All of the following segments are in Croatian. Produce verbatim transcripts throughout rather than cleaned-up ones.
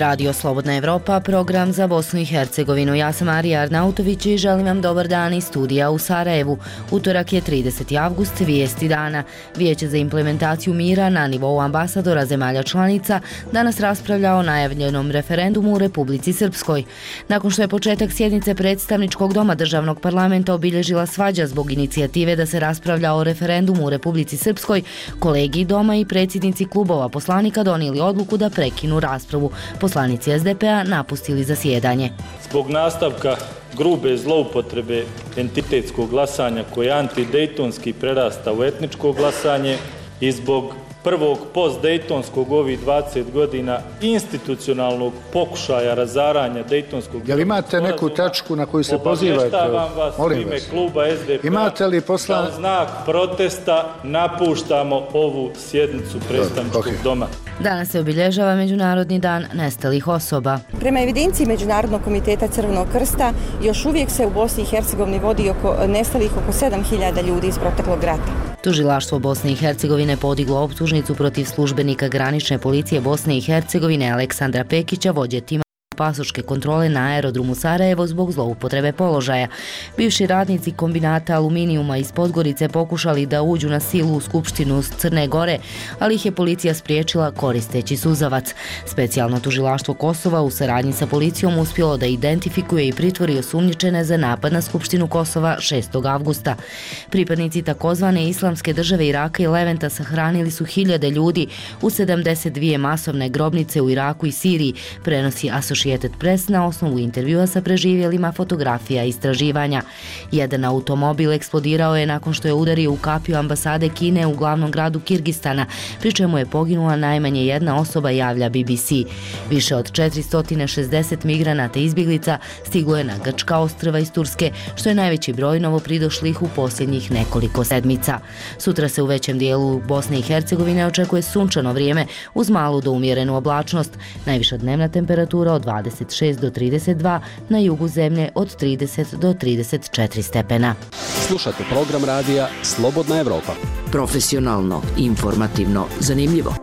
Radio Slobodna Evropa, program za Bosnu i Hercegovinu. Ja sam Arija Arnautović i želim vam dobar dan iz studija u Sarajevu. Utorak je trideseti avgust, vijesti dana. Vijeće za implementaciju mira na nivou ambasadora zemalja članica danas raspravlja o najavljenom referendumu u Republici Srpskoj. Nakon što je početak sjednice predstavničkog doma državnog parlamenta obilježila svađa zbog inicijative da se raspravlja o referendumu u Republici Srpskoj, kolegi doma i predsjednici klubova poslanika donijeli odluku da prekinu raspravu. Poslanici es de pe a napustili zasjedanje. Zbog nastavka grube zloupotrebe entitetskog glasanja koje antidejtonski prerasta u etničko glasanje i zbog prvog post-dejtonskog ovih dvadeset godina institucionalnog pokušaja razaranja dejtonskog... Jel imate neku tačku na koju se pozivate? Obavještavam vas u ime kluba es de pe a. Imate li posla... Kao znak protesta napuštamo ovu sjednicu predstavničkog okay. doma. Danas se obilježava Međunarodni dan nestalih osoba. Prema evidenciji Međunarodnog komiteta Crvenog krsta, još uvijek se u Bosni i Hercegovini vodi oko nestalih oko sedam hiljada ljudi iz proteklog rata. Tužilaštvo Bosne i Hercegovine podiglo optužnicu protiv službenika granične policije Bosne i Hercegovine Aleksandra Pekića, vođe tima pasoške kontrole na aerodromu Sarajevo zbog zloupotrebe položaja. Bivši radnici kombinata aluminijuma iz Podgorice pokušali da uđu na silu u Skupštinu Crne Gore, ali ih je policija spriječila koristeći suzavac. Specijalno tužilaštvo Kosova u saradnji sa policijom uspjelo da identifikuje i pritvori osumnjičene za napad na Skupštinu Kosova šestog avgusta. Pripadnici takozvane islamske države Iraka i Leventa sahranili su hiljade ljudi u sedamdeset dvije masovne grobnice u Iraku i Siriji, prenosi Associated Press na osnovu intervjua sa preživjelima, fotografija i istraživanja. Jedan automobil eksplodirao je nakon što je udario u kapiju ambasade Kine u glavnom gradu Kirgistana, pri čemu je poginula najmanje jedna osoba, javlja be be ce. Više od četiristo šezdeset migranata i izbjeglica stiglo je na Grčka ostrva iz Turske, što je najveći broj novopridošlih u posljednjih nekoliko sedmica. Sutra se u većem dijelu Bosne i Hercegovine očekuje sunčano vrijeme uz malu do umjerenu oblačnost. Najviša dnevna temperatura od dvadeset šest do trideset dva, na jugu zemlje od trideset do trideset četiri stepena. Slušate program radija Slobodna Evropa. Profesionalno, informativno, zanimljivo.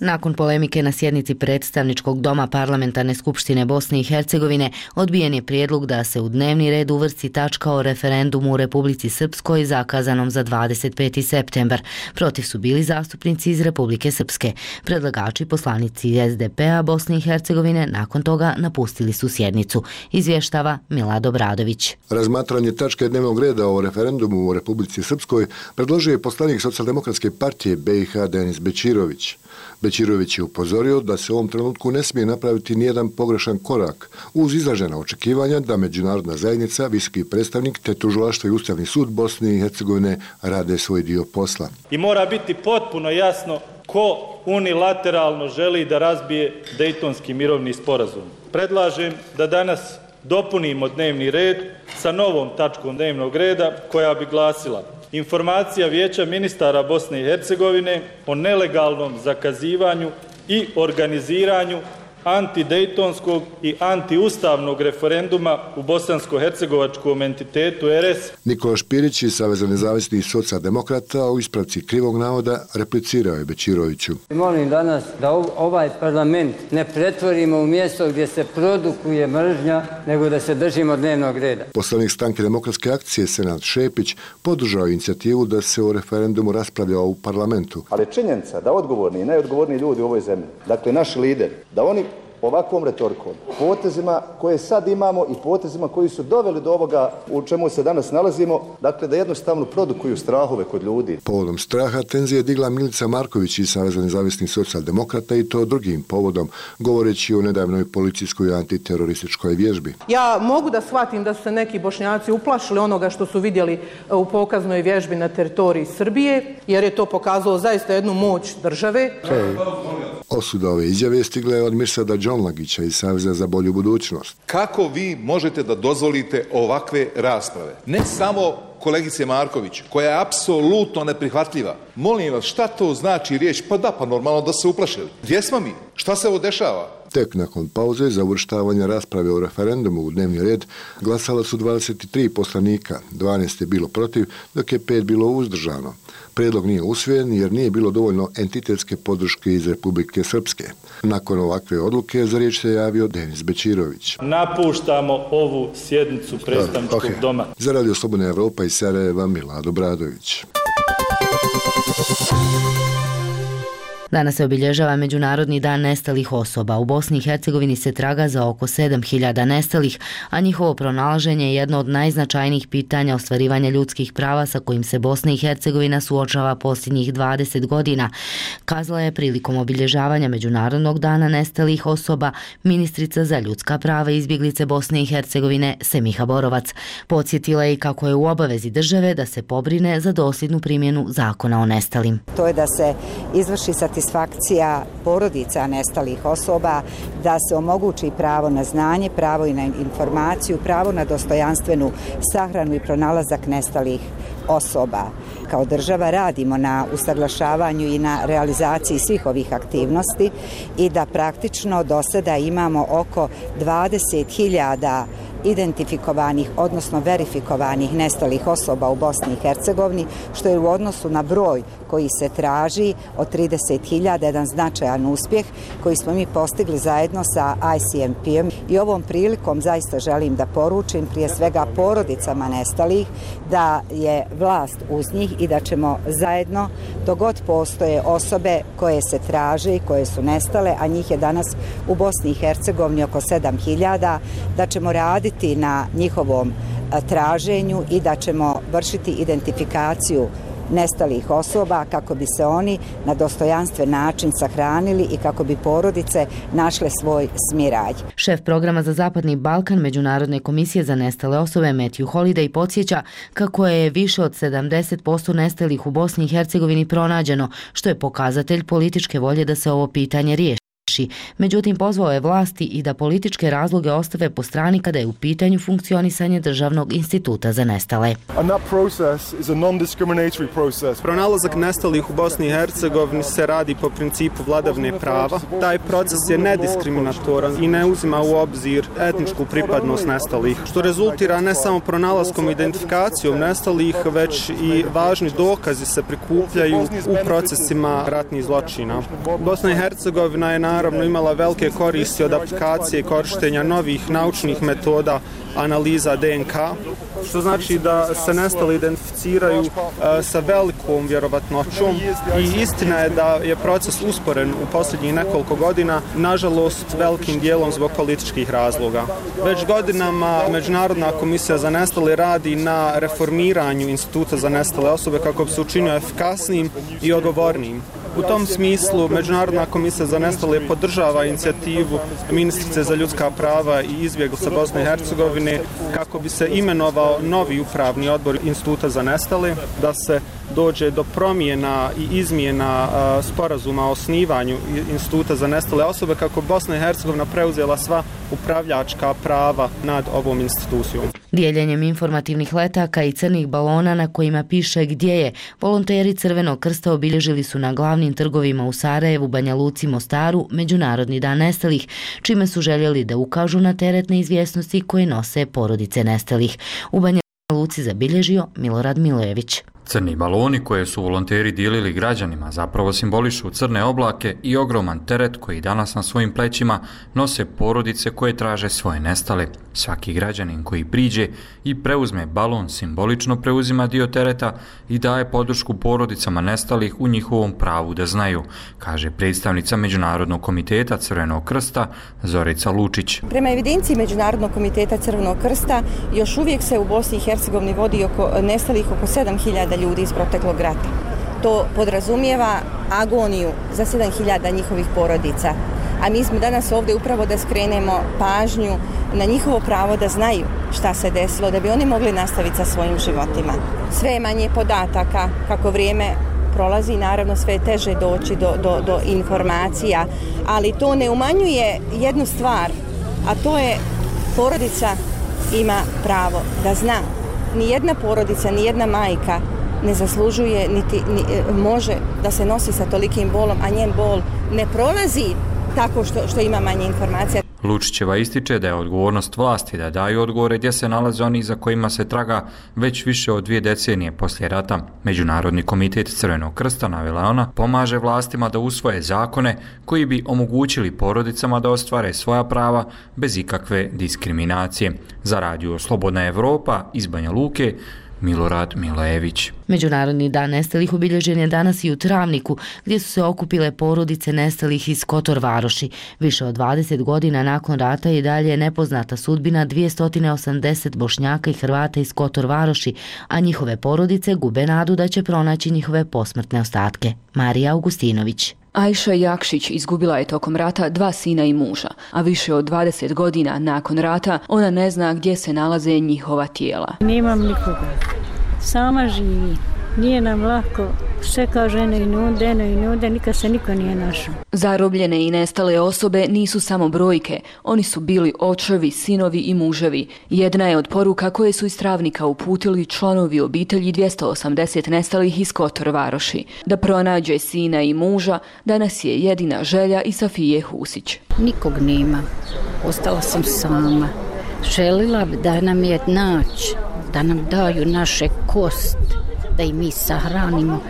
Nakon polemike na sjednici predstavničkog doma Parlamentarne skupštine Bosne i Hercegovine, odbijen je prijedlog da se u dnevni red uvrsti tačka o referendumu u Republici Srpskoj zakazanom za dvadeset peti septembar. Protiv su bili zastupnici iz Republike Srpske. Predlagači, poslanici es de pe a Bosne i Hercegovine, nakon toga napustili su sjednicu. Izvještava Milad Obradović. Razmatranje tačke dnevnog reda o referendumu u Republici Srpskoj predložio je poslanik Socijaldemokratske partije be i ha Denis Bećirović. Bećirović je upozorio da se u ovom trenutku ne smije napraviti nijedan pogrešan korak uz izražena očekivanja da međunarodna zajednica, visoki predstavnik te tužilaštvo i Ustavni sud Bosne i Hercegovine rade svoj dio posla. I mora biti potpuno jasno ko unilateralno želi da razbije Dejtonski mirovni sporazum. Predlažem da danas dopunimo dnevni red sa novom tačkom dnevnog reda koja bi glasila: informacija Vijeća ministara Bosne i Hercegovine o nelegalnom zakazivanju i organiziranju antidejtonskog i antiustavnog referenduma u bosansko-hercegovačkom entitetu er es. Nikola Špirić iz Saveza nezavisnih socijaldemokrata u ispravci krivog navoda replicirao je Bećiroviću. Molim danas da ovaj parlament ne pretvorimo u mjesto gdje se produkuje mržnja, nego da se držimo dnevnog reda. Poslanik Stranke demokratske akcije Senad Šepić podržao inicijativu da se o referendumu raspravlja u parlamentu. Ali činjenica da odgovorni i najodgovorniji ljudi u ovoj zemlji, dakle naši lideri, da oni ovakvom retorikom, potezima koje sad imamo i potezima koji su doveli do ovoga u čemu se danas nalazimo, dakle da jednostavno produkuju strahove kod ljudi. Povodom straha tenzije je digla Milica Marković iz Saveza nezavisnih socijaldemokrata i to drugim povodom, govoreći o nedavnoj policijskoj antiterorističkoj vježbi. Ja mogu da shvatim da su se neki Bošnjaci uplašili onoga što su vidjeli u pokaznoj vježbi na teritoriji Srbije, jer je to pokazalo zaista jednu moć države. Hey. Osuda ove izjave stigla je od Mirsada Đonlagića iz Saveza za bolju budućnost. Kako vi možete da dozvolite ovakve rasprave? Ne samo kolegice Marković, koja je apsolutno neprihvatljiva. Molim vas, šta to znači riječ? Pa da, pa normalno da se uplašili. Gdje smo mi? Šta se ovo dešava? Tek nakon pauze za uvrštavanje rasprave o referendumu u dnevni red glasala su dvadeset tri poslanika, dvanaest je bilo protiv, dok je pet bilo uzdržano. Predlog nije usvojen jer nije bilo dovoljno entitetske podrške iz Republike Srpske. Nakon ovakve odluke za riječ se javio Denis Bećirović. Napuštamo ovu sjednicu predstavničkog okay. doma. Za Radio Slobodna Evropa iz Sarajeva, Milad Obradović. Danas se obilježava Međunarodni dan nestalih osoba. U Bosni i Hercegovini se traga za oko sedam hiljada nestalih, a njihovo pronalaženje je jedno od najznačajnijih pitanja ostvarivanja ljudskih prava sa kojim se Bosna i Hercegovina suočava posljednjih dvadeset godina, kazala je prilikom obilježavanja Međunarodnog dana nestalih osoba ministrica za ljudska prava i izbjeglice Bosne i Hercegovine Semiha Borovac. Podsjetila je i kako je u obavezi države da se pobrine za dosljednu primjenu zakona o nestalim. To je da se izvrši satisfakcija satisfakcija porodica nestalih osoba, da se omogući pravo na znanje, pravo i na informaciju, pravo na dostojanstvenu sahranu i pronalazak nestalih osoba. Kao država radimo na usaglašavanju i na realizaciji svih ovih aktivnosti i da praktično do sada imamo oko dvadeset hiljada identifikovanih, odnosno verifikovanih nestalih osoba u Bosni i Hercegovini, što je u odnosu na broj koji se traži od trideset hiljada jedan značajan uspjeh koji smo mi postigli zajedno sa I C M P-om. I ovom prilikom zaista želim da poručim prije svega porodicama nestalih da je vlast uz njih i da ćemo zajedno, dok god postoje osobe koje se traže i koje su nestale, a njih je danas u Bosni i Hercegovini oko sedam hiljada, da ćemo raditi na njihovom traženju i da ćemo vršiti identifikaciju nestalih osoba kako bi se oni na dostojanstven način sahranili i kako bi porodice našle svoj smiraj. Šef programa za Zapadni Balkan Međunarodne komisije za nestale osobe Matthew Holiday podsjeća kako je više od sedamdeset posto nestalih u Bosni i Hercegovini pronađeno, što je pokazatelj političke volje da se ovo pitanje riješi. Međutim, pozvao je vlasti i da političke razloge ostave po strani kada je u pitanju funkcionisanje Državnog instituta za nestale. Pronalazak nestalih u Bosni i Hercegovini se radi po principu vladavine prava. Taj proces je nediskriminatoran i ne uzima u obzir etničku pripadnost nestalih, što rezultira ne samo pronalaskom i identifikacijom nestalih, već i važni dokazi se prikupljaju u procesima ratnih zločina. Bosna i Hercegovina je naravno imala velike koristi od aplikacije korištenja novih naučnih metoda analiza D N K, što znači da se nestali identificiraju uh, sa velikom vjerovatnoćom i istina je da je proces usporen u posljednjih nekoliko godina, nažalost velikim dijelom zbog političkih razloga. Već godinama Međunarodna komisija za nestale radi na reformiranju instituta za nestale osobe kako bi se učinio efikasnijim i odgovornijim. U tom smislu Međunarodna komisija za nestale podržava inicijativu ministrice za ljudska prava i izbjeglica Bosne i Hercegovine kako bi se imenovao novi upravni odbor instituta za nestale, da se dođe do promjena i izmjena uh, sporazuma o osnivanju instituta za nestale osobe kako Bosna i Hercegovina preuzela sva upravljačka prava nad ovom institucijom. Dijeljenjem informativnih letaka i crnih balona na kojima piše gdje je, volonteri Crvenog krsta obilježili su na glavnim trgovima u Sarajevu, Banja Luci, Mostaru Međunarodni dan nestalih, čime su željeli da ukažu na teret neizvjesnosti koje nose porodice nestalih. U Banja Luci zabilježio Milorad Milojević. Crni baloni koje su volonteri dijelili građanima zapravo simbolišu crne oblake i ogroman teret koji danas na svojim plećima nose porodice koje traže svoje nestale. Svaki građanin koji priđe i preuzme balon simbolično preuzima dio tereta i daje podršku porodicama nestalih u njihovom pravu da znaju, kaže predstavnica Međunarodnog komiteta Crvenog krsta Zorica Lučić. Prema evidenciji Međunarodnog komiteta Crvenog krsta još uvijek se u Bosni i Hercegovini vodi oko nestalih oko sedam hiljada ljudi iz proteklog rata. To podrazumijeva agoniju za sedam hiljada njihovih porodica. A mi smo danas ovdje upravo da skrenemo pažnju na njihovo pravo da znaju šta se desilo, da bi oni mogli nastaviti sa svojim životima. Sve je manje podataka, kako vrijeme prolazi, naravno sve je teže doći do, do, do informacija, ali to ne umanjuje jednu stvar, a to je porodica ima pravo da zna. Nijedna porodica, nijedna majka ne zaslužuje, niti ni, može da se nosi sa tolikim bolom, a njen bol ne prolazi tako što, što ima manje informacija. Lučićeva ističe da je odgovornost vlasti da daju odgovore gdje se nalaze oni za kojima se traga već više od dvije decenije poslije rata. Međunarodni komitet Crvenog krsta, navela ona, pomaže vlastima da usvoje zakone koji bi omogućili porodicama da ostvare svoja prava bez ikakve diskriminacije. Za radio Slobodna Evropa iz Banja Luke, Milorad Milojević. Međunarodni dan nestalih obilježen je danas i u Travniku, gdje su se okupile porodice nestalih iz Kotor Varoši. Više od dvadeset godina nakon rata i dalje je nepoznata sudbina dvjesto osamdeset Bošnjaka i Hrvata iz Kotor Varoši, a njihove porodice gube nadu da će pronaći njihove posmrtne ostatke. Marija Augustinović. Ajša Jakšić izgubila je tokom rata dva sina i muža, a više od dvadeset godina nakon rata ona ne zna gdje se nalaze njihova tijela. Nemam nikoga, sama živi, nije nam lako, sve kao žene i nude, eno i nude, nikad se niko nije našao. Zarobljene i nestale osobe nisu samo brojke, oni su bili očevi, sinovi i muževi. Jedna je od poruka koje su iz Travnika uputili članovi obitelji dvjesto osamdeset nestalih iz Kotor Varoši. Da pronađe sina i muža danas je jedina želja i Safije Husić. Nikog nema, ostala sam sama. Želila bi da nam je naći, da nam daju naše kosti, da i mi sahranimo,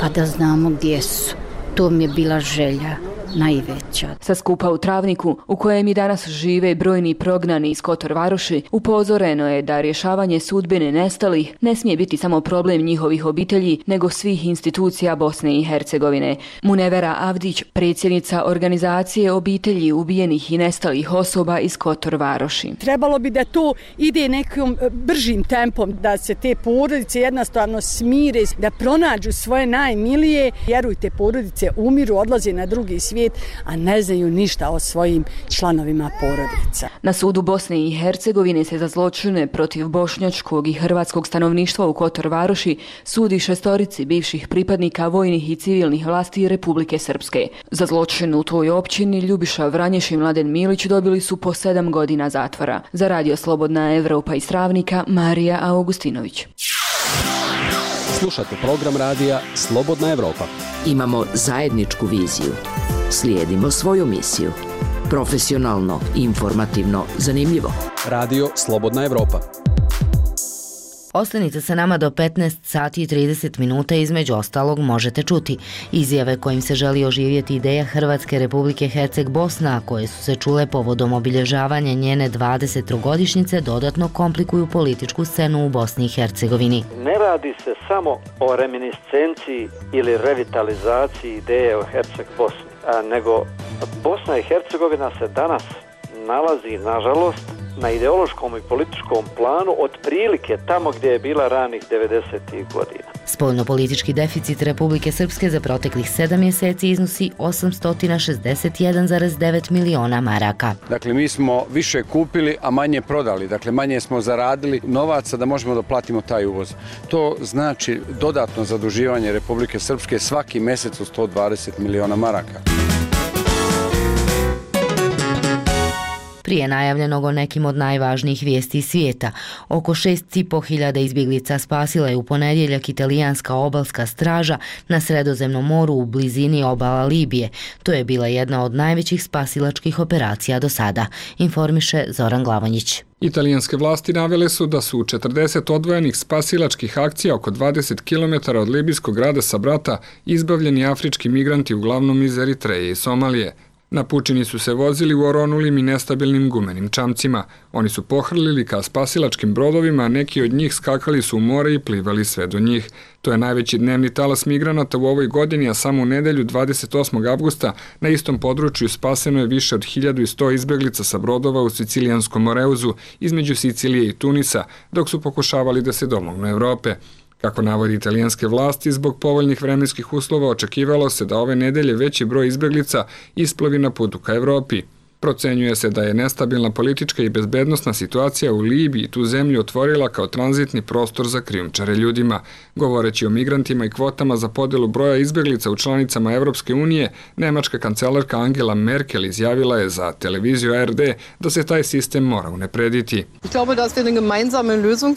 pa da znamo gdje su. To mi je bila želja najveća. Sa skupa u Travniku, u kojem i danas žive brojni prognani iz Kotor Varoši, upozoreno je da rješavanje sudbine nestalih ne smije biti samo problem njihovih obitelji, nego svih institucija Bosne i Hercegovine. Munevera Avdić, predsjednica organizacije obitelji ubijenih i nestalih osoba iz Kotor Varoši. Trebalo bi da to ide nekim bržim tempom, da se te porodice jednostavno smire, da pronađu svoje najmilije. Vjerujte, porodice umiru, odlaze na drugi svijet, a ne znaju ništa o svojim članovima porodica. Na sudu Bosne i Hercegovine se za zločine protiv bošnjačkog i hrvatskog stanovništva u Kotor Varoši sudi šestorici bivših pripadnika vojnih i civilnih vlasti Republike Srpske. Za zločin u toj općini Ljubiša Vranješ i Mladen Milić dobili su po sedam godina zatvora. Za radio Slobodna Evropa iz Travnika, Marija Augustinović. Slušate program radija Slobodna Evropa. Imamo zajedničku viziju. Slijedimo svoju misiju. Profesionalno, informativno, zanimljivo. Radio Slobodna Evropa. Ostanite sa nama do petnaest sati i trideset minuta, između ostalog možete čuti izjave kojim se želi oživjeti ideja Hrvatske Republike Herceg Bosna, koje su se čule povodom obilježavanja njene dvadesetogodišnjice, dodatno komplikuju političku scenu u Bosni i Hercegovini. Ne radi se samo o reminiscenciji ili revitalizaciji ideje o Herceg Bosni, nego Bosna i Hercegovina se danas nalazi, nažalost, na ideološkom i političkom planu otprilike tamo gdje je bila ranih devedesetih godina. Spoljnopolitički deficit Republike Srpske za proteklih sedam mjeseci iznosi osamsto šezdeset jedan zarez devet miliona maraka. Dakle, mi smo više kupili, a manje prodali. Dakle, manje smo zaradili novaca da možemo da platimo taj uvoz. To znači dodatno zaduživanje Republike Srpske svaki mjesec u sto dvadeset miliona maraka. Prije najavljenog o nekim od najvažnijih vijesti svijeta, oko šest i po hiljada izbjeglica spasila je u ponedjeljak italijanska obalska straža na Sredozemnom moru u blizini obala Libije. To je bila jedna od najvećih spasilačkih operacija do sada, informiše Zoran Glavonjić. Italijanske vlasti navele su da su u četrdeset odvojenih spasilačkih akcija oko dvadeset kilometara od libijskog grada Sabrata izbavljeni afrički migranti uglavnom iz Eritreje i Somalije. Na pučini su se vozili u oronulim i nestabilnim gumenim čamcima. Oni su pohrlili ka spasilačkim brodovima, a neki od njih skakali su u more i plivali sve do njih. To je najveći dnevni talas migranata u ovoj godini, a samo u nedelju dvadeset osmog avgusta na istom području spaseno je više od hiljadu sto izbjeglica sa brodova u sicilijanskom Moreuzu između Sicilije i Tunisa, dok su pokušavali da se domognu Evrope. Kako navodi italijanske vlasti, zbog povoljnih vremenskih uslova očekivalo se da ove nedelje veći broj izbjeglica isplovi na putu ka Evropi. Procenjuje se da je nestabilna politička i bezbednosna situacija u Libiji tu zemlju otvorila kao tranzitni prostor za krijumčare ljudima. Govoreći o migrantima i kvotama za podelu broja izbjeglica u članicama Evropske unije, nemačka kancelarka Angela Merkel izjavila je za televiziju A R D da se taj sistem mora unaprediti.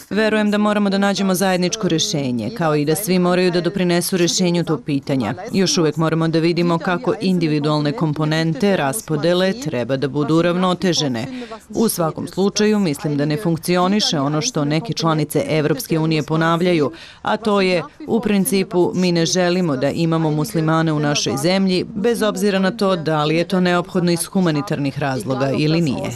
Verujem da moramo da nađemo zajedničko rješenje, kao i da svi moraju da doprinesu rješenju tog pitanja. Još uvijek moramo da vidimo kako individualne komponente raspodele treba da budu uravnotežene. U svakom slučaju mislim da ne funkcioniše ono što neke članice Evropske unije ponavljaju, a to je u principu mi ne želimo da imamo muslimane u našoj zemlji, bez obzira na to da li je to neophodno iz humanitarnih razloga ili nije.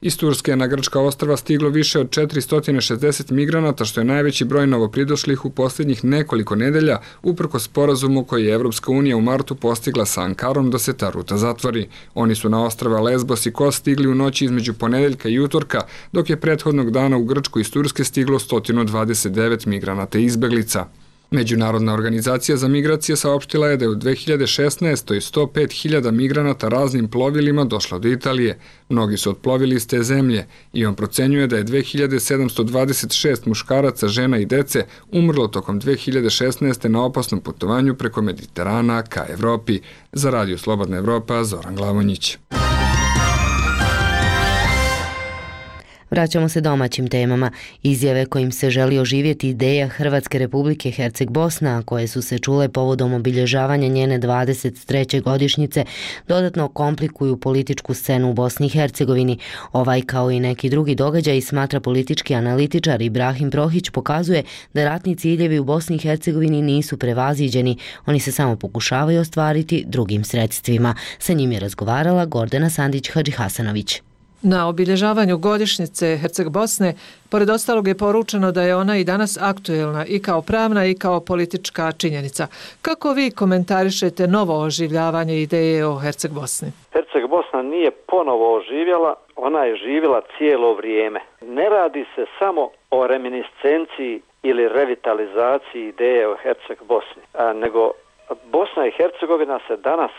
Iz Turske na grčka ostrva stiglo više od četiristo šezdeset migranata, što je najveći broj novopridošlih u posljednjih nekoliko nedelja, uprkos sporazumu koji je Evropska unija u martu postigla sa Ankarom da se ta ruta zatvori. Oni su na ostrva Lesbos i Kos stigli u noći između ponedeljka i utorka, dok je prethodnog dana u Grčku iz Turske stiglo sto dvadeset devet migranata i izbeglica. Međunarodna organizacija za migracije saopštila je da je u dve hiljade šesnaestoj. sto pet hiljada migranata raznim plovilima došlo do Italije. Mnogi su otplovili iz te zemlje i on procenjuje da je dve hiljade sedamsto dvadeset šest muškaraca, žena i dece umrlo tokom dve hiljade šesnaeste. na opasnom putovanju preko Mediterana ka Evropi. Za Radio Slobodna Evropa, Zoran Glavonjić. Vraćamo se domaćim temama. Izjave kojim se želi oživjeti ideja Hrvatske Republike Herceg-Bosna, koje su se čule povodom obilježavanja njene dvadeset treće godišnjice, dodatno komplikuju političku scenu u Bosni i Hercegovini. Ovaj kao i neki drugi događaj, smatra politički analitičar Ibrahim Prohić, pokazuje da ratni ciljevi u Bosni i Hercegovini nisu prevaziđeni, oni se samo pokušavaju ostvariti drugim sredstvima. Sa njim je razgovarala Gordana Sandić-Hadžihasanović. Na obilježavanju godišnjice Herceg-Bosne, pored ostalog je poručeno da je ona i danas aktuelna i kao pravna i kao politička činjenica. Kako vi komentarišete novo oživljavanje ideje o Herceg-Bosni? Herceg-Bosna nije ponovo oživjela, ona je živjela cijelo vrijeme. Ne radi se samo o reminiscenciji ili revitalizaciji ideje o Herceg-Bosni, nego Bosna i Hercegovina se danas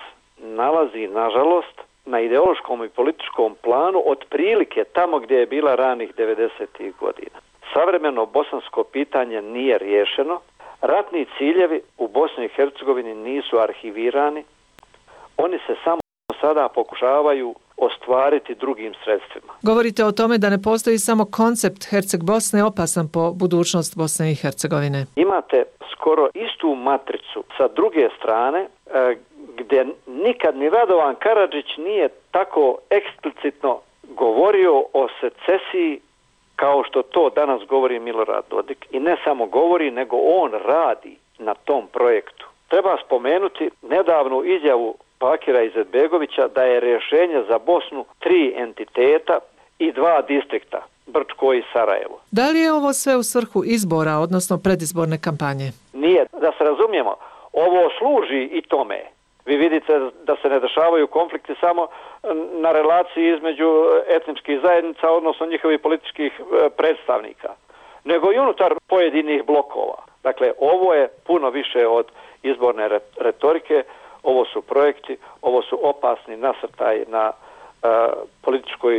nalazi, nažalost, na ideološkom i političkom planu otprilike tamo gdje je bila ranih devedesetih godina. Savremeno bosansko pitanje nije riješeno, ratni ciljevi u Bosni i Hercegovini nisu arhivirani, oni se samo sada pokušavaju ostvariti drugim sredstvima. Govorite o tome da ne postoji samo koncept Herceg-Bosne opasan po budućnost Bosne i Hercegovine. Imate skoro istu matricu sa druge strane, e, gdje nikad ni Radovan Karadžić nije tako eksplicitno govorio o secesiji kao što to danas govori Milorad Dodik. I ne samo govori, nego on radi na tom projektu. Treba spomenuti nedavnu izjavu Bakira Izetbegovića da je rješenje za Bosnu tri entiteta i dva distrikta, Brčko i Sarajevo. Da li je ovo sve u svrhu izbora, odnosno predizborne kampanje? Nije. Da se razumijemo, ovo služi i tome. Vi vidite da se ne dešavaju konflikti samo na relaciji između etničkih zajednica, odnosno njihovih političkih predstavnika, nego i unutar pojedinih blokova. Dakle, ovo je puno više od izborne retorike, ovo su projekti, ovo su opasni nasrtaj na uh, političkoj,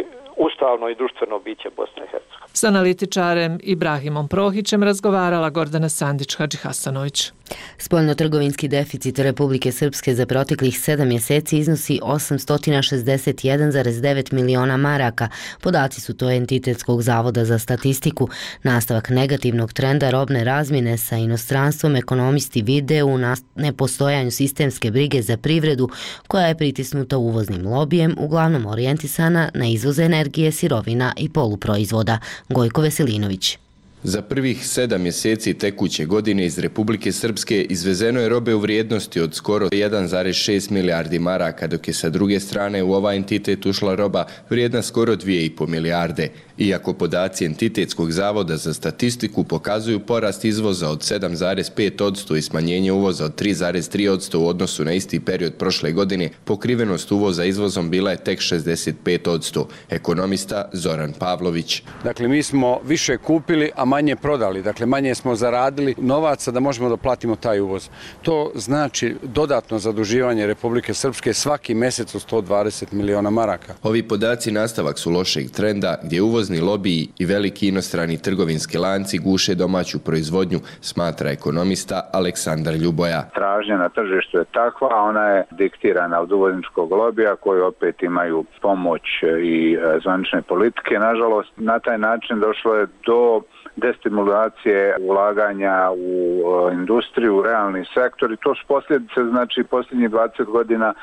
ustavno i društveno biće Bosne i Hercegovine. S analitičarem Ibrahimom Prohićem razgovarala Gordana Sandić-Hadžihasanović. Spoljnotrgovinski deficit Republike Srpske za proteklih sedam mjeseci iznosi osamsto šezdeset jedan zarez devet miliona maraka. Podaci su to Entitetskog zavoda za statistiku. Nastavak negativnog trenda robne razmjene sa inostranstvom ekonomisti vide u nepostojanju sistemske brige za privredu, koja je pritisnuta uvoznim lobijem, uglavnom orijentisana na izvoz energije, sirovina i poluproizvoda. Gojko Veselinović. Za prvih sedam mjeseci tekuće godine iz Republike Srpske izvezeno je robe u vrijednosti od skoro jedan zarez šest milijardi maraka, dok je sa druge strane u ovaj entitet ušla roba vrijedna skoro dvije i pol milijarde. Iako podaci Entitetskog zavoda za statistiku pokazuju porast izvoza od sedam zarez pet posto i smanjenje uvoza od tri zarez tri posto u odnosu na isti period prošle godine, pokrivenost uvoza izvozom bila je tek šezdeset pet posto. Ekonomista Zoran Pavlović. Dakle, mi smo više kupili, a manje prodali. Dakle, manje smo zaradili novaca da možemo da platimo taj uvoz. To znači dodatno zaduživanje Republike Srpske svaki mjesec u sto dvadeset miliona maraka. Ovi podaci nastavak su lošeg trenda gdje uvozni lobiji i veliki inostrani trgovinski lanci guše domaću proizvodnju, smatra ekonomista Aleksandar Ljuboja. Tražnja na tržištu je takva, a ona je diktirana od uvozničkog lobija koji opet imaju pomoć i zvanične politike. Nažalost, na taj način došlo je do destimulacije ulaganja u industriju, u realni sektor i to su posljedice, znači posljednjih dvadeset godina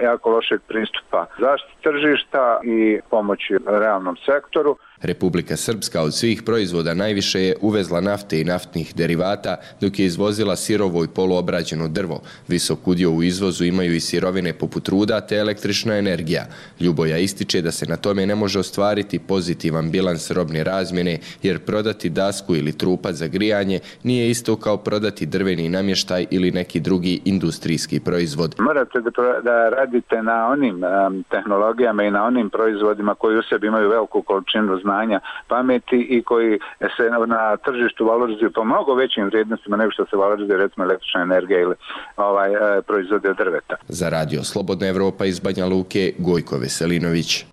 jako lošeg pristupa zaštiti tržišta i pomoći realnom sektoru. Republika Srpska od svih proizvoda najviše je uvezla nafte i naftnih derivata, dok je izvozila sirovo i poluobrađeno drvo. Visok udio u izvozu imaju i sirovine poput ruda te električna energija. Ljuboja ističe da se na tome ne može ostvariti pozitivan bilans robne razmjene, jer prodati dasku ili trupac za grijanje nije isto kao prodati drveni namještaj ili neki drugi industrijski proizvod. Morate da radite na onim um, tehnologijama i na onim proizvodima koji u sebi imaju veliku količinu znanja, pameti i koji se na tržištu valorizuju po mnogo većim vrijednostima nego što se valorizuje recimo električna energija ili ovaj, e, proizvode od drveta. Za radio Slobodna Evropa iz Banja Luke, Gojko Veselinović.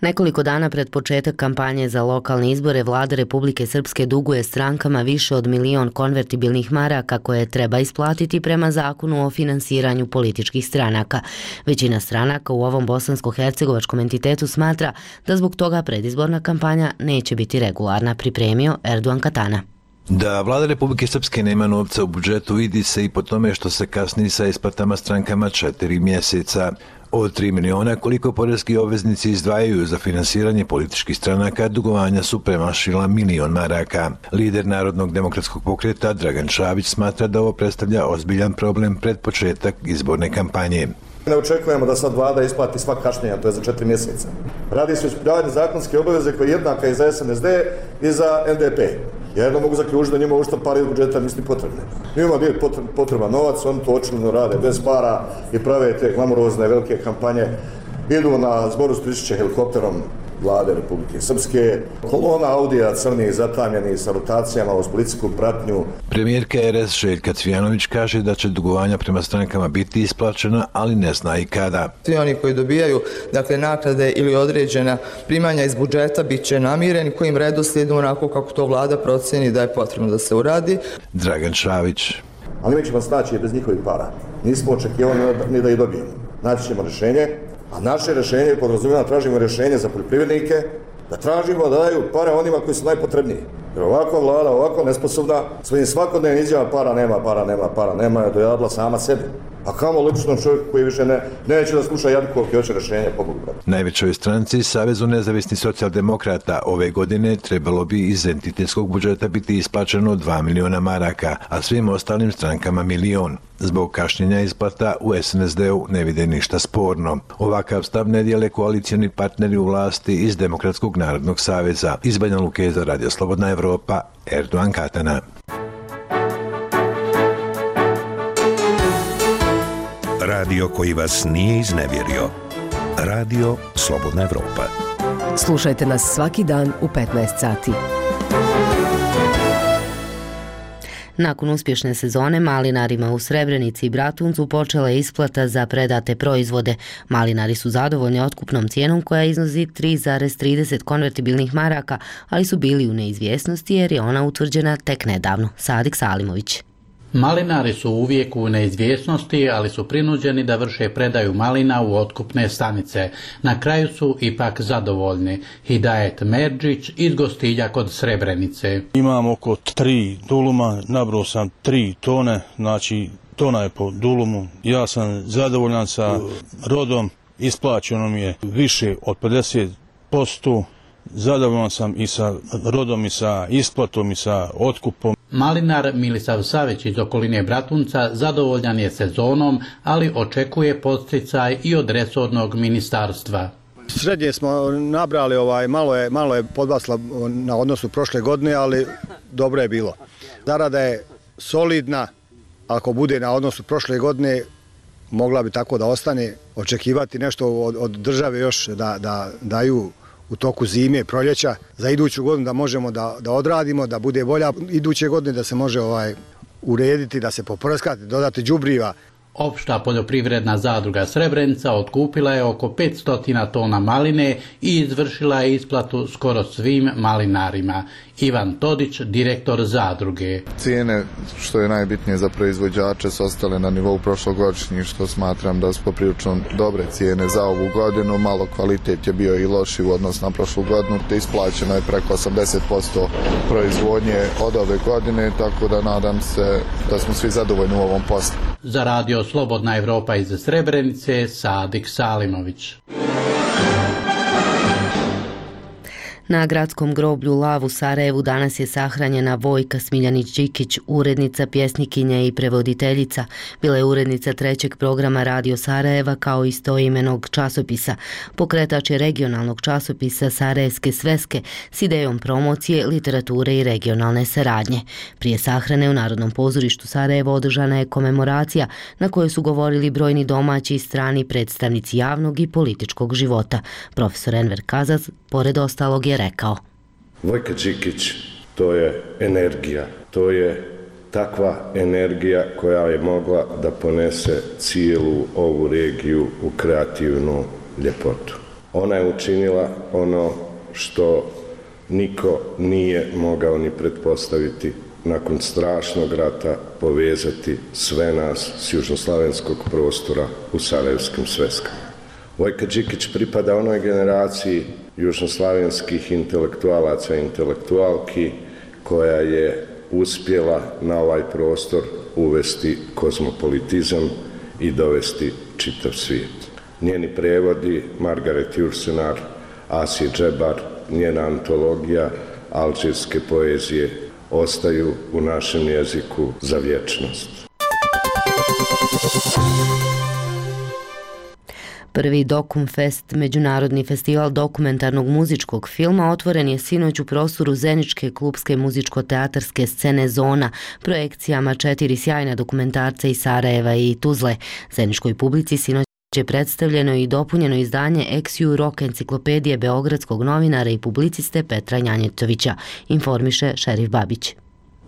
Nekoliko dana pred početak kampanje za lokalne izbore vlada Republike Srpske duguje strankama više od milion konvertibilnih maraka koje treba isplatiti prema zakonu o finansiranju političkih stranaka. Većina stranaka u ovom bosansko-hercegovačkom entitetu smatra da zbog toga predizborna kampanja neće biti regularna, pripremio Erdogan Katana. Da vlada Republike Srpske nema novca u budžetu vidi se i po tome što se kasni sa isplatama strankama četiri mjeseca. Od tri miliona koliko poreski obveznici izdvajaju za finansiranje političkih stranaka, dugovanja su premašila milion maraka. Lider Narodnog demokratskog pokreta Dragan Šabić smatra da ovo predstavlja ozbiljan problem pred početak izborne kampanje. Ne očekujemo da sad vlada isplati sva kašnjenja, to je za četiri mjeseca. Radi se o ispunjavanju zakonske obaveze koje je jednaka i za S N S D i za N D P. Ja jedno mogu zaključiti da njima ušto pari od budžeta nisu potrebne. Njima je potreban novac, oni to očigledno rade bez para i prave te glamurozne velike kampanje. Idu na zboru Spličiće helikopterom vlade Republike Srpske. Kolona Audija crnih zatamljenih sa rotacijama uz policijsku pratnju. Premijerka R S Željka Cvijanović kaže da će dugovanja prema strankama biti isplaćena, ali ne zna i kada. Svi oni koji dobijaju dakle, naknade ili određena primanja iz budžeta bit će namireni kojim redoslijedom onako kako to vlada proceni da je potrebno da se uradi. Dragan Šavić. Ali mi ćemo snaći bez njihovih para. Nismo očekivali ni da ih dobijemo. Naći ćemo rješenje. A naše rješenje podrazumijeva, tražimo rješenje za poljoprivrednike, da tražimo da daju pare onima koji su najpotrebniji. Jer ovakva vlada, ovako nesposobna, svojim svakodnevnim izjavama para nema, para nema, para nema, je dojadila sama sebi. A kamo lično čovjek koji više ne, neće da sluša Jadkovke, hoće rješenje, pobogu brate. Najvećoj stranci, Savezu nezavisnih socijaldemokrata, ove godine trebalo bi iz entitetskog budžeta biti isplaćeno dva miliona maraka, a svim ostalim strankama milion. Zbog kašnjenja isplata u S N S D-u ne vide ništa sporno. Ovakav stav ne dijele koalicijani partneri u vlasti iz Demokratskog narodnog saveza. Iz Banja Luke za radio Slobodna Evropa, Erdogan Katana. Radio koji vas nije iznevjerio. Radio Slobodna Evropa. Slušajte nas svaki dan u petnaest sati. Nakon uspješne sezone malinarima u Srebrenici i Bratuncu počela je isplata za predate proizvode. Malinari su zadovoljni otkupnom cijenom koja iznosi tri zarez trideset konvertibilnih maraka, ali su bili u neizvjesnosti jer je ona utvrđena tek nedavno. Sadik Salimović. Malinari su uvijek u neizvjesnosti, ali su prinuđeni da vrše predaju malina u otkupne stanice. Na kraju su ipak zadovoljni. Hidajet Merđić iz Gostilja kod Srebrenice. Imam oko tri duluma, nabrao sam tri tone, znači tona je po dulumu. Ja sam zadovoljan sa rodom, isplaćeno mi je više od pedeset posto. Zadovoljan sam i sa rodom i sa isplatom i sa otkupom. Malinar Milisav Savić iz okoline Bratunca zadovoljan je sezonom, ali očekuje podsticaj i od resornog ministarstva. Srednje smo nabrali, ovaj, malo je, malo je podbasla na odnosu prošle godine, ali dobro je bilo. Zarada je solidna, ako bude na odnosu prošle godine, mogla bi tako da ostane, očekivati nešto od, od države još da, da daju u toku zime i proljeća za iduću godinu da možemo da, da odradimo, da bude bolja iduće godine, da se može ovaj urediti, da se poprskati, dodati đubriva. Opšta poljoprivredna zadruga Srebrenica otkupila je oko petsto tona maline i izvršila je isplatu skoro svim malinarima. Ivan Todić, direktor zadruge. Cijene, što je najbitnije za proizvođače, su ostale na nivou prošlogodišnjih, što smatram da su poprilično dobre cijene za ovu godinu. Malo kvalitet je bio i loši u odnosu na prošlu godinu, te isplaćeno je preko osamdeset posto proizvodnje od ove godine, tako da nadam se da smo svi zadovoljni u ovom poslu. Za radio Slobodna Evropa iz Srebrenice, Sadik Salimović. Na gradskom groblju Lav u Sarajevu danas je sahranjena Vojka Smiljanić-Đikić, urednica, pjesnikinja i prevoditeljica. Bila je urednica trećeg programa Radio Sarajeva kao istoimenog časopisa. Pokretač je regionalnog časopisa Sarajevske sveske s idejom promocije, literature i regionalne saradnje. Prije sahrane u Narodnom pozorištu Sarajevo održana je komemoracija na kojoj su govorili brojni domaći i strani predstavnici javnog i političkog života. Profesor Enver Kazaz, pored ostalog, je rekao: Vojka Đikić, to je energija, to je takva energija koja je mogla da ponese cijelu ovu regiju u kreativnu ljepotu. Ona je učinila ono što niko nije mogao ni pretpostaviti, nakon strašnog rata povezati sve nas s južnoslavenskog prostora u sarajevskim sveskama. Vojka Đikić pripada onoj generaciji južnoslavenskih intelektualaca i intelektualki koja je uspjela na ovaj prostor uvesti kozmopolitizam i dovesti čitav svijet. Njeni prevodi, Margaret Jursenar, Asi Džebar, njena antologija alžirske poezije ostaju u našem jeziku za vječnost. Prvi Dokumfest, međunarodni festival dokumentarnog muzičkog filma, otvoren je sinoć u prostoru Zeničke klubske muzičko-teatarske scene Zona, projekcijama četiri sjajna dokumentarca iz Sarajeva i Tuzle. Zeničkoj publici sinoć je predstavljeno i dopunjeno izdanje Ex-Ju Rock enciklopedije beogradskog novinara i publiciste Petra Njanjetovića, informiše Šerif Babić.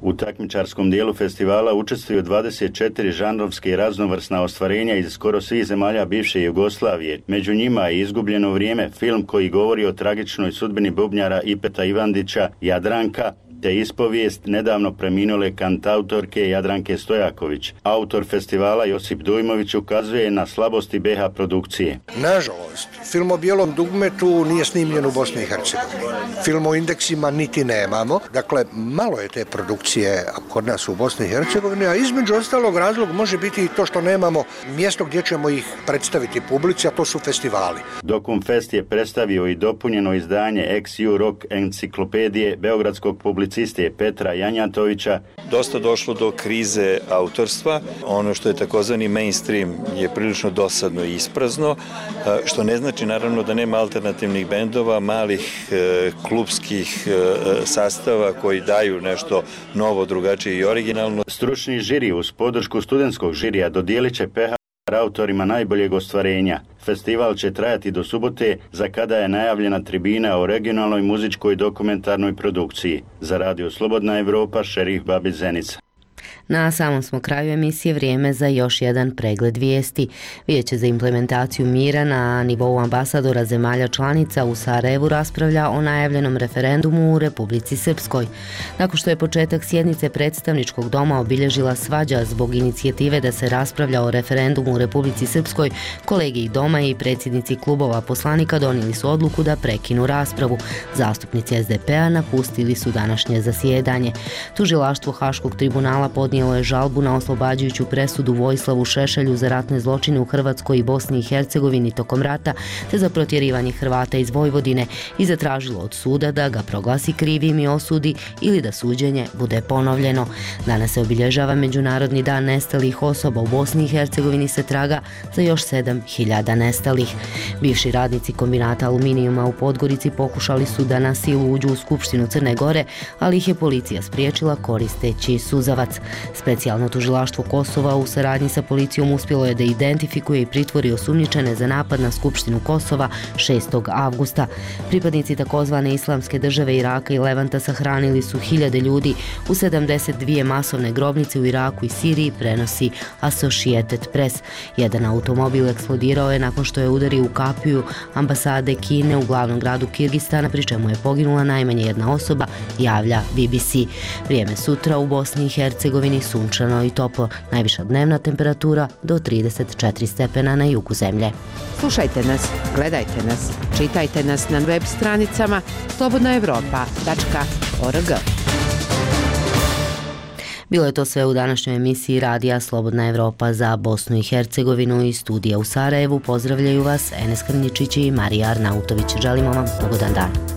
U takmičarskom dijelu festivala učestvuju dvadeset četiri žanrovske i raznovrsna ostvarenja iz skoro svih zemalja bivše Jugoslavije. Među njima je Izgubljeno vrijeme, film koji govori o tragičnoj sudbini bubnjara Ipeta Ivandića, Jadranka, te ispovijest nedavno preminule kantautorke Jadranke Stojaković. Autor festivala Josip Dujmović ukazuje na slabosti be ha produkcije. Nažalost, film o bijelom dugmetu nije snimljen u Bosni i Hercegovini. Film o indeksima niti nemamo. Dakle, malo je te produkcije kod nas u Bosni i Hercegovini, a između ostalog razlog može biti i to što nemamo mjesto gdje ćemo ih predstaviti publici, a to su festivali. Dokumfest je predstavio i dopunjeno izdanje Ex-Ju Rock enciklopedije beogradskog publicista Petra Janjatovića. Dosta došlo do krize autorstva. Ono što je takozvani mainstream je prilično dosadno i isprazno, što ne znači naravno da nema alternativnih bendova, malih e, klubskih e, sastava koji daju nešto novo, drugačije i originalno. Stručni žiri uz podršku studentskog žirija dodijelit će pe ha autorima najboljeg ostvarenja. Festival će trajati do subote, za kada je najavljena tribina o regionalnoj muzičkoj dokumentarnoj produkciji. Za Radio Slobodna Evropa, Šerif Babić, Zenica. Na samom smo kraju emisije, vrijeme za još jedan pregled vijesti. Vijeće za implementaciju mira na nivou ambasadora zemalja članica u Sarajevu raspravlja o najavljenom referendumu u Republici Srpskoj. Nakon što je početak sjednice predstavničkog doma obilježila svađa zbog inicijative da se raspravlja o referendumu u Republici Srpskoj, kolegi doma i predsjednici klubova poslanika donijeli su odluku da prekinu raspravu. Zastupnici es de pe a napustili su današnje zasjedanje. Tužilaštvo Haškog tribunala podnijelo je žalbu na oslobađajuću presudu Vojislavu Šešelju za ratne zločine u Hrvatskoj i Bosni i Hercegovini tokom rata, te za protjerivanje Hrvata iz Vojvodine i zatražilo od suda da ga proglasi krivim i osudi ili da suđenje bude ponovljeno. Danas se obilježava Međunarodni dan nestalih osoba. U Bosni i Hercegovini se traga za još sedam hiljada nestalih. Bivši radnici kombinata aluminijuma u Podgorici pokušali su da na silu uđu u Skupštinu Crne Gore, ali ih je policija spriječila koristeći suzavac. Specijalno tužilaštvo Kosova u saradnji sa policijom uspjelo je da identifikuje i pritvori osumnjičene za napad na Skupštinu Kosova šestog avgusta. Pripadnici takozvane Islamske države Iraka i Levanta sahranili su hiljade ljudi u sedamdeset dvije masovne grobnice u Iraku i Siriji, prenosi Associated Press. Jedan automobil eksplodirao je nakon što je udario u kapiju ambasade Kine u glavnom gradu Kirgistana, pri čemu je poginula najmanje jedna osoba, javlja B B C. Vrijeme sutra u Bosni i Hercegovini sunčano i toplo. Najviša dnevna temperatura do trideset četiri stepena na jugu zemlje. Slušajte nas, gledajte nas, čitajte nas na web stranicama slobodna evropa tačka org. Bilo je to sve u današnjoj emisiji Radija Slobodna Evropa za Bosnu i Hercegovinu. Iz studija u Sarajevu pozdravljaju vas Enes Krnjičić i Marija Arnautović. Želimo vam ugodan dan.